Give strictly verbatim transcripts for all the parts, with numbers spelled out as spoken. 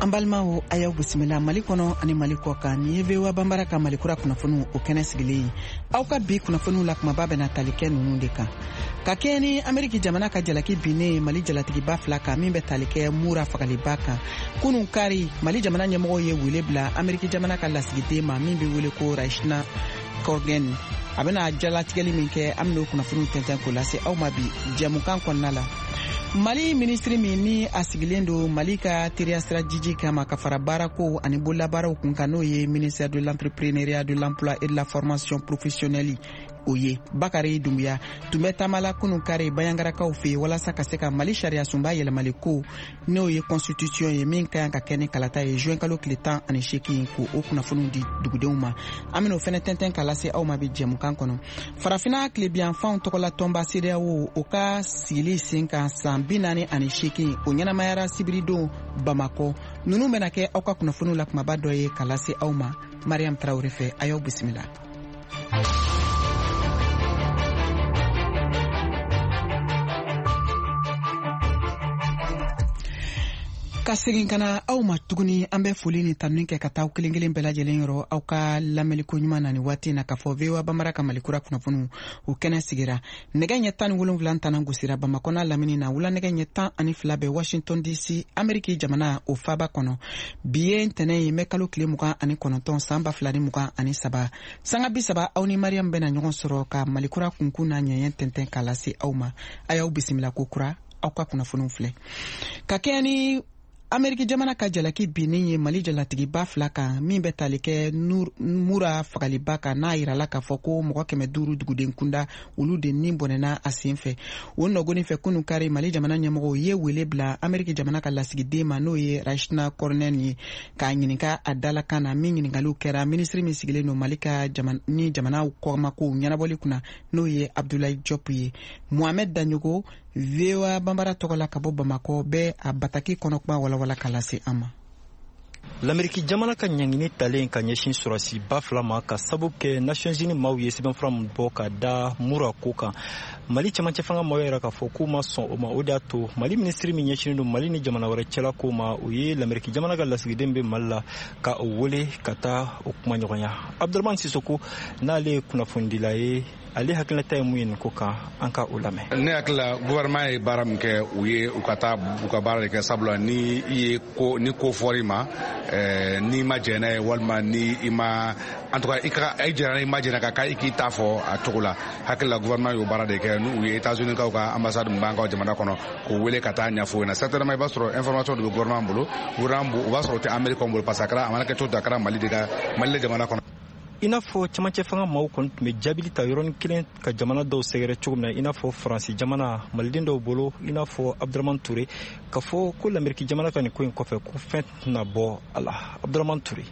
An balimaw, a y'aw bisimila Mali kɔnɔ ani Mali kɔ kan. Nin ye V O A Banbara ka Mali kura kunnafoniw o kɛnɛ sigilen ye. Aw ka bi kunnafoniw la, kumaba bɛna tali kɛ ninnu de kan: ka kɛɲɛ ni Ameriki jamana ka jalaki binnen Mali jalatigiba fila kan, min bɛ tali kɛ Mura fagaliba kan, kunun kari, Mali jamana ɲɛmɔgɔw ye wele bila Ameriki jamana ka lasigiden ma min bɛ wele ko Rachna Korguen. A bɛna jalatigɛli min kɛ, an bɛn'o kunnafoniw tɛntɛn k'o lase aw ma bi jɛmukan kɔnɔna la. Mali minisiri min ni a sigilen don Mali ka teriya sira jiji kama ka fara baarako ani bololabaaraw kun kan, n'o ye ministère de l'Entrepreneuriat, de l'Emploi et de la Formation professionnelle, o ye Bakari Dunbuya, tun bɛ taama la kunun kari Bayangarakaw fɛ walasa ka se ka Mali sariya sunba yɛlɛmali ko, n'o ye constitution ye, min ka kan ka kɛ ni kalata ye juin kalo tile tan ani seegin, ko o kunnafoniw di dugudenw ma. An bɛn'o fɛnɛ tɛntɛn k'a lase aw ma bi jɛmukan kɔnɔ. Farafina tilebiyanfanw tɔgɔla tɔnba CEDEAO, o ka sigili sen kan san bi naani ani seegin, o ɲɛnamayara sibiridon Bamakɔ. Nunu bɛna kɛ aw ka kunnafoniw la kumaba dɔ ye ka lase aw ma Mariam Tarawure fɛ. A y'aw bisimila. Ka segin ka na aw ma tuguni, an bɛ foli ni tanuni kɛ ka taa kelen kelen bɛɛ lajɛlen yɔrɔ aw ka lamɛnliko ɲuman na ni waati na, k'a fɔ V O A Bamara ka Malikura kunnafoniw o kɛnɛ sigira. Nɛgɛ ɲɛ tan ni wolonwula tana gosira Bamakɔna lamini na, wula nɛgɛ ɲɛ tan ani fila bɛ Washington D C, Ameriki jamana o faba kɔnɔ. Bi ye ntɛnɛ ye, mɛ kalo tile mugan ani kɔnɔntɔn, san ba fila ni mugan ani saba. Sanga bi saba, aw ni Mariam bɛna ɲɔgɔn sɔrɔ ka Malikura kunkun n'a ɲɛɲɛ tɛntɛn k'a lase aw ma. A y'aw bisimila ko kura. Aw ka kunnafoniw filɛ: ka kɛɲɛ ni Ameriki jamana ka jalaki binnen ye Mali jalatigiba fila kan, min bɛ tali kɛ Mura fagaliba kan, n'a yirala k'a fɔ ko mɔgɔ kɛmɛ duuru duguden kunda, olu de ni bɔnɛna a sen fɛ, o nɔgɔni fɛ, kunu kari, Mali jamana ɲɛmɔgɔw ye wele bila Ameriki jamana ka lasigiden ma, n'o ye Rachna Kornen ye, k'a ɲininka a dalakan na. Min ɲininkaliw kɛra minisiri min sigilen don Mali ka ni jamana kɔmakow ɲɛnabɔli kunna, n'o ye Abdoulaye Diop ye. Mohamed Daɲogo, V O A Banbara tɔgɔ la ka bɔ Bamakɔ, bɛ a bataki kɔnɔ kuma walawala ka lase an ma. Lameriki jamana ka ɲangini talen ka ɲɛsin sɔrɔsiba fila ma ka sabu kɛ Nations Unies maaw ye sɛbɛnfura min bɔ ka da Mura ko kan, Mali cɛmancɛ fanga maaw yɛrɛ k'a fɔ k'u ma sɔn o ma. O de y'a to Mali minisiri min ɲɛsinnen don Mali ni jamana wɛrɛ cɛla ko ma, o ye Lameriki jamana ka lasigiden bɛ Mali la ka o wele ka taa o kumaɲɔgɔnya. Abdurahmani Sisoko, n'ale ye kunnafonidila ye, ale hakilinata ye mun ye nin ko kan? An ka o lamɛn. Ne hakili la, gouvernement ye baara min kɛ, u ye u ka taa u ka baara de kɛ, sabula ni i ye ko ni ko fɔr'i ma, n'i ma jɛn n'a ye, walima ni i ma, en tout cas i ka i jɛnna, i ma jɛn ka kan, i k'i ta fɔ a cogo la. Hakili la, gouvernement y'o baara de kɛ, n'u ye États-Unis kaw ka ambassade min b'an ka jamana kɔnɔ, k'o wele ka taa ɲɛfɔ o ɲɛna. Certainement i b'a sɔrɔ information de bɛ gouvernement bolo, gouvernement o b'a sɔrɔ o tɛ Amérique bolo, parce que a kɛra, a mana kɛ cogo o cogo, a kɛra Mali de ka Mali de jamana kɔnɔ. I n'a fɔ camancɛ fanga maaw kɔni tun bɛ jaabili ta yɔrɔnin kelen ka jamana dɔw sɛgɛrɛ cogo min na, i n'a fɔ Faransi jamana, maliden dɔw bolo, i n'a fɔ Abdurahman Ture, ka fɔ ko Lameriki jamana ka nin ko in kɔfɛ, ko fɛn tɛna bɔ a la. Abdurahman Ture.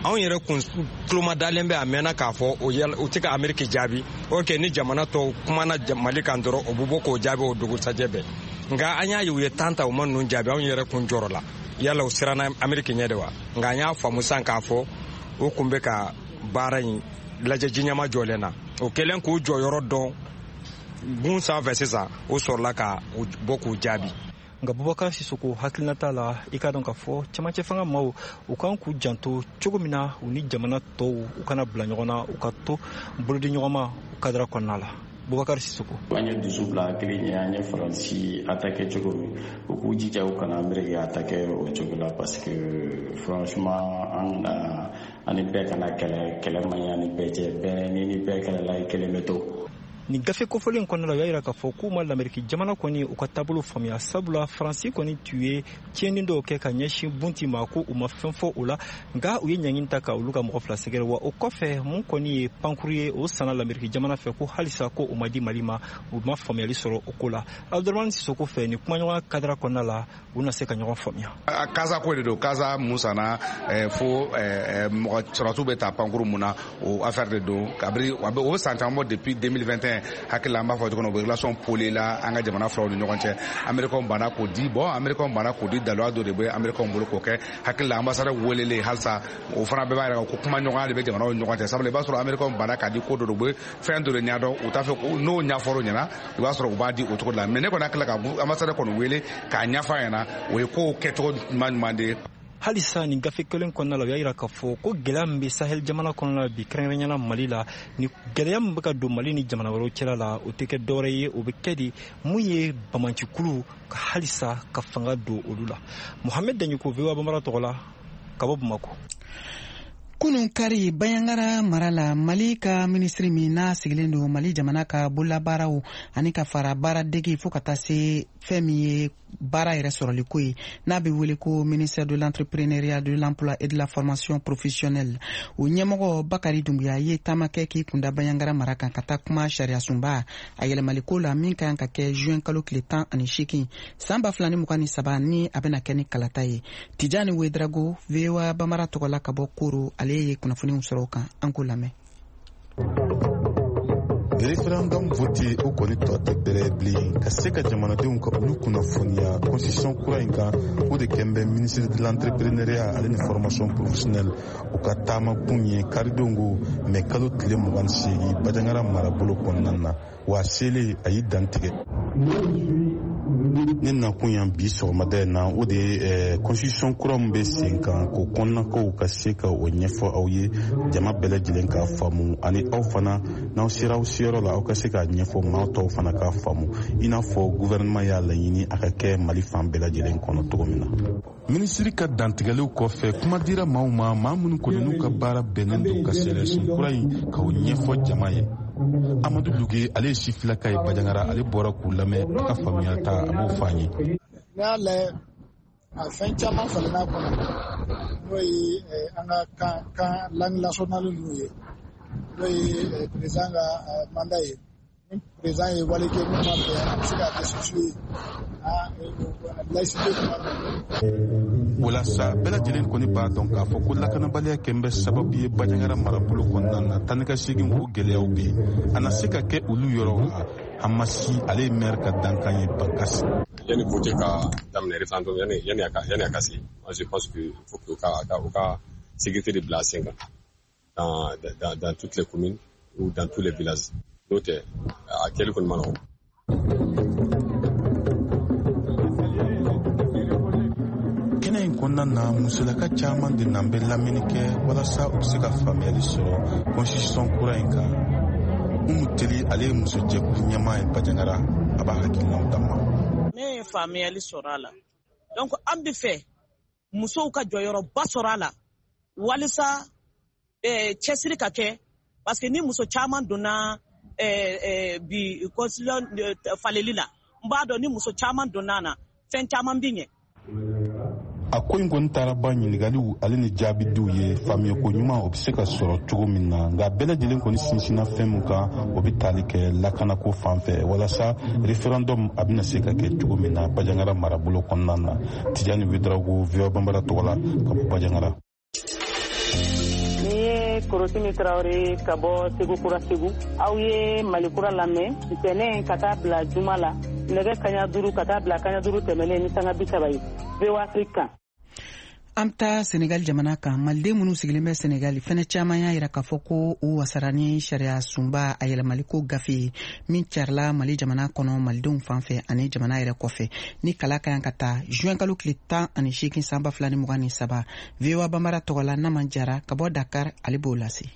Anw yɛrɛ kun tuloma dalen bɛ a mɛnna k'a fɔ o tɛ ka Ameriki jaabi. Ok, ni jamana tɔw kumana Mali kan dɔrɔn, o bɛ bɔ k'o jaabi o dugusajɛ bɛɛ. Nka an y'a ye u ye tan ta, u ma ninnu jaabi. Anw yɛrɛ kun jɔrɔ la, yala u siranna Ameriki ɲɛ de wa? Nka an y'a faamu sisan k'a fɔ o kun bɛ ka baara in lajɛ jiɲɛma jɔlen na. O kɛlen k'u jɔyɔrɔ dɔn gun sanfɛ sisan, o sɔrɔla ka bɔ k'u jaabi. Nka Bubakar Sisoko hakilinata la, i k'a dɔn k'a fɔ camancɛ fanga maaw, u kan k'u janto cogo min na u ni jamana tɔw u kana bila ɲɔgɔn na, u ka to bolodi ɲɔgɔnma kadara kɔnɔna la. Bubakar Sisoko. An ye dusu bila hakili ɲɛ. An ye Faransi attaqué cogo min, u k'u jija u kana Ameriki attaqué o cogo la, parce que franchement an kana ani bɛɛ kana kɛlɛ. Kɛlɛ man ɲi ani bɛɛ cɛ. Bɛɛ ni ni bɛɛ kɛlɛla, i kelen bɛ to. Nin gafe kofɔlen kɔnɔna la, u y'a yira k'a fɔ k'u ma Lameriki jamana kɔni u ka taabolo faamuya, sabula Faransi kɔni tun ye tiɲɛni dɔw kɛ ka ɲɛsin Bunti ma, ko u ma fɛn fɔ o la. Nka u ye ɲangini ta ka olu ka mɔgɔ fila sɛgɛrɛ. Wa o kɔfɛ, mun kɔni ye pankuru ye, o sanna Lameriki jamana fɛ, ko halisa ko o ma di Mali ma. U ma faamuyali sɔrɔ o ko la. Abdurahmani Sisoko fɛ, nin kumaɲɔgɔnya kadara kɔnɔna la, u na se ka ɲɔgɔn faamuya. Casa ko de don. Casa mun sanna fo mɔgɔ sɔrɔsiw bɛ ta pankuru mun na, o affaire de don. Kabiri o bɛ san caman bɔ, depuis deux mille vingt et un, hakili la, an b'a fɔ cogo min na, u bɛ relation poli la an ka jamana filaw ni ɲɔgɔn cɛ. Américains banna k'o di. Bon, Américains banna k'o di, daluya dɔ de bɛ Américains bolo k'o kɛ. Hakili la, ambassadeur welelen halisa, o fana bɛɛ b'a yira ko kumaɲɔgɔnya de bɛ jamanaw ni ɲɔgɔn cɛ, sabula i b'a sɔrɔ Américains banna k'a di, ko dɔ de bɛ fɛn dɔ de ɲɛdɔn, u t'a fɛ n'o ɲɛfɔr'o ɲɛna, i b'a sɔrɔ u b'a di o cogo de la. Mais ne kɔni hakili la, ka ambassadeur kɔni wele k'a ɲɛfɔ a ɲɛna, o ye kow kɛcogo ɲuman ɲuman de ye. Halisa nin gafe kelen kɔnɔna la, u y'a yira k'a fɔ ko gɛlɛya min bɛ Sahel jamana kɔnɔna la bi, kɛrɛnkɛrɛnnenya la Mali la, ni gɛlɛya min bɛ ka don Mali ni jamana wɛrɛw cɛla la, o tɛ kɛ dɔwɛrɛ ye, o bɛ kɛ de mun ye bamancikulu ka halisa ka fanga don olu la. Mohamed Daɲoko, V O A Bambara tɔgɔ la, ka bɔ Bamakɔ. Kunun kari, Banjagara mara la, Mali ka minisiri min n'a sigilen don Mali jamana ka bololabaaraw ani ka fara baara dege fo ka taa se fɛn min ye baara yɛrɛ sɔrɔliko ye, n'a bɛ wele ko ministère de l'entrepreneuriat, de l'emploi et de la formation professionnelle, o ɲɛmɔgɔ Bakari Dumbuya ye taama kɛ k'i kunda Banjagara mara kan ka taa kuma sariyasunba a yɛlɛmaliko la min ka kan ka kɛ juin kalo tile tan ani seegin san ba fila ni mugan ni saba, ni a bɛna kɛ ni kalata ye. Tijani Wedrago, V O A Bambara tɔgɔ la ka bɔ Koro, ale ye kunnafoniw sɔrɔ o kan, an k'o lamɛn. Référendum voté o kɔni tɔ tɛ bɛrɛ bilen ka se ka jamanadenw ka olu kunnafoniya constitution kura in kan. O de kɛn bɛ ministre de l'entrepreneuriat ale ni formation professionnelle o ka taama kun ye karidenw ko mɛ kalo tile mugan ni seegin Banjagara marabolo kɔnɔna na. Wa selen a y'i dantigɛ. Ne nakun yan bi sɔgɔmada in na, o de ye constitution kura min bɛ sen kan, k'o kɔnɔnakow ka se ka o ɲɛfɔ aw ye, jama bɛɛ lajɛlen k'a faamu, ani aw fana n'aw sera aw seyɔrɔ la, aw ka se k'a ɲɛfɔ maa tɔw fana k'a faamu, i n'a fɔ gouvernement y'a laɲini a ka kɛ Mali fan bɛɛ lajɛlen kɔnɔ cogo min na. Minisiri ka dantigɛliw kɔfɛ, kuma dira maaw ma, maa minnu kɔni n'u ka baara bɛnnen don ka sariyasun kura in k'o ɲɛfɔ jama ye. Amadu Luge, ale ye sifilaka ye Banjagara, ale bɔra k'u lamɛn, a ka faamuya ta a b'o fɔ an ye. N'i y'a lajɛ, a fɛn caman falenna kɔnɔ, n'o ye an ka kan kan langue nationale ninnu ye, n'o ye président ka mandat ye. Ni président ye wale kɛ min ma bɛn, a bɛ se ka destituer. Laïcité kuma. O la sa, bɛɛ lajɛlen kɔni b'a dɔn k'a fɔ ko lakanabaliya kɛn bɛ sababu ye Banjagara marabolo kɔnɔna na, taa ni ka segin o gɛlɛyaw bɛ yen, a na se ka kɛ olu yɔrɔw la. Hamasi, ale ye maire ka dankan ye Bankasi. Yani vote ka daminɛ référendum, yani yani a ka yani a ka se, moi je pense que faut que ka ka u ka sécurité de bila sen kan dans dans dans toutes les communes ou dans tous les villages. N'o tɛ, a kɛli kɔni ma nɔgɔn. Kɛnɛ in kɔnɔna na, musolaka caman de nan bɛ lamɛnni kɛ walasa u bɛ se ka faamuyali sɔrɔ constitution kura in kan. Umu Teli, ale ye musojɛkulu ɲɛmaa ye Banjagara, a b'a hakilinaw d'an ma. Ne ye faamuyali sɔrɔ a la. Donc an bɛ fɛ musow ka jɔyɔrɔba sɔrɔ a la walisa eh, cɛsiri ka kɛ, parce que ni muso caman donna eh, eh, bi constitution faleli la, n b'a dɔn ni muso caman donna na, fɛn caman bi ɲɛ. A ko in kɔni taara ba ɲininkaliw ale ni jaabidiw ye, faamuyako ɲuman o bɛ se ka sɔrɔ cogo min na. Nka bɛɛ lajɛlen kɔni sinsinna fɛn min kan, o bɛ tali kɛ lakanako fan fɛ, walasa référendum a bɛna se ka kɛ cogo min na Banjagara marabolo kɔnɔna na. Tijani Wedrago, V O A Bambara tɔgɔ la, ka bɔ Banjagara. Ni ye Korotimi Tarawele ka bɔ Segu Kura Segu. Aw ye Mali Kura lamɛn ntɛnɛn ka taa bila juma la, nɛgɛ kaɲa duuru ka taa bila kaɲa duuru tɛmɛnen ni sanga bi saba ye, V O A Afrique kan. An bɛ taa Senegal jamana kan. Maliden minnu sigilen bɛ Senegal fɛnɛ caman y'a yira k'a fɔ ko u wasara ni sariya sunba a yɛlɛmaliko gafe ye min carila Mali jamana kɔnɔ malidenw fan fɛ ani jamana yɛrɛ kɔfɛ, ni kala ka kan ka taa juin kalo tile tan ani seegin san ba fila ni mugan ni saba. V O A Bambara tɔgɔ la, Naman Jara ka bɔ Dakar, ale b'o lase.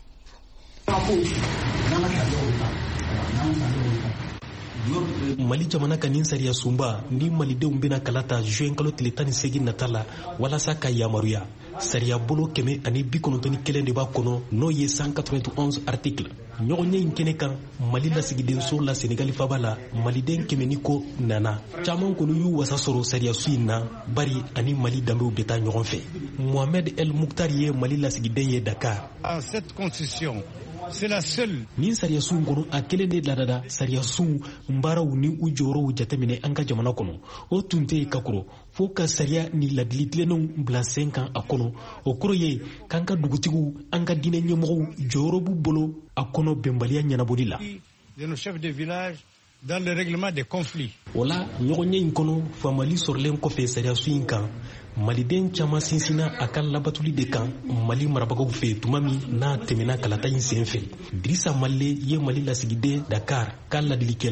Mali jamana ka nin sariya sunba ni malidenw bɛna kala ta juin kalo tile tan ni seegin nata la walasa ka yamaruya. Sariya bolo kɛmɛ ani bi kɔnɔntɔn ni kelen de b'a kɔnɔ, n'o ye cent quatre-vingt-onze article. Ɲɔgɔnye in kɛnɛ kan Mali lasigidenso la Senegali faba la, maliden kɛmɛ ni kɔ nana. Caman kɔni y'u wasa sɔrɔ sariyasu in na, bari ani Mali danbew bɛ taa ɲɔgɔn fɛ. Mohamed El Mukhtar ye Mali lasigiden ye Dakar. Cette constitution, c'est la seule. Nin sariyasun kɔnɔ, a kelen de ladada sariyasun baaraw ni u jɔyɔrɔw jateminɛ an ka jamana kɔnɔ. O tun tɛ yen ka kɔrɔ, fo ka sariya ni ladili tilennenw bila sen kan a kɔnɔ. O kɔrɔ ye k'an ka dugutigiw, an ka diinɛ ɲɛmɔgɔw jɔyɔrɔ b'u bolo a kɔnɔ bɛnbaliya ɲɛnabɔli la. De nos chefs de village dans le règlement des conflits. O la ɲɔgɔnye in kɔnɔ, faamuyali sɔrɔlen kɔfɛ sariyasun in kan, maliden caman sinsinna a ka labatuli de kan Mali marabagaw fɛ tuma min n'a tɛmɛna kalata in sen fɛ. Dirisa Male ye Mali lasigiden Dakar ka ladilikɛla.